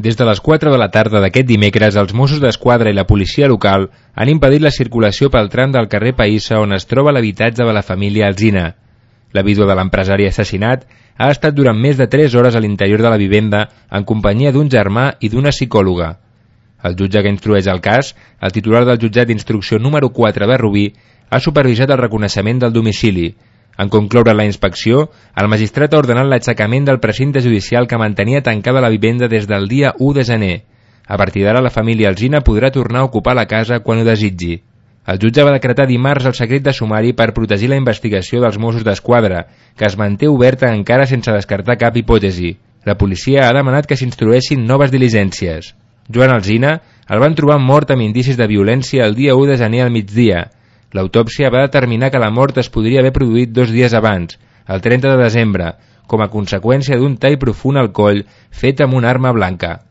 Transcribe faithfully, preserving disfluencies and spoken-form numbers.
Des de les quatre de la tarda d'aquest dimecres, els Mossos d'Esquadra i la policia local han impedit la circulació pel tram del carrer Païssa on es troba l'habitatge de la família Alsina. La vídua de l'empresari assassinat ha estat durant més de tres hores a l'interior de la vivenda en companyia d'un germà i d'una psicòloga. El jutge que instrueix el cas, el titular del jutjat d'instrucció número quatre de Rubí, ha supervisat el reconeixement del domicili. En concloure la inspecció, el magistrat ha ordenat l'aixecament del precinte judicial que mantenia tancada la vivenda des del dia u de gener. A partir d'ara, la família Alsina podrà tornar a ocupar la casa quan ho desitgi. El jutge va decretar dimarts el secret de sumari per protegir la investigació dels Mossos d'Esquadra, que es manté oberta encara sense descartar cap hipòtesi. La policia ha demanat que s'instrueixin noves diligències. Joan Alsina el van trobar mort amb indicis de violència el dia u de gener al migdia. L'autòpsia va determinar que la mort es podria haver produït dos dies abans, el trenta de desembre, com a conseqüència d'un tall profund al coll fet amb una arma blanca.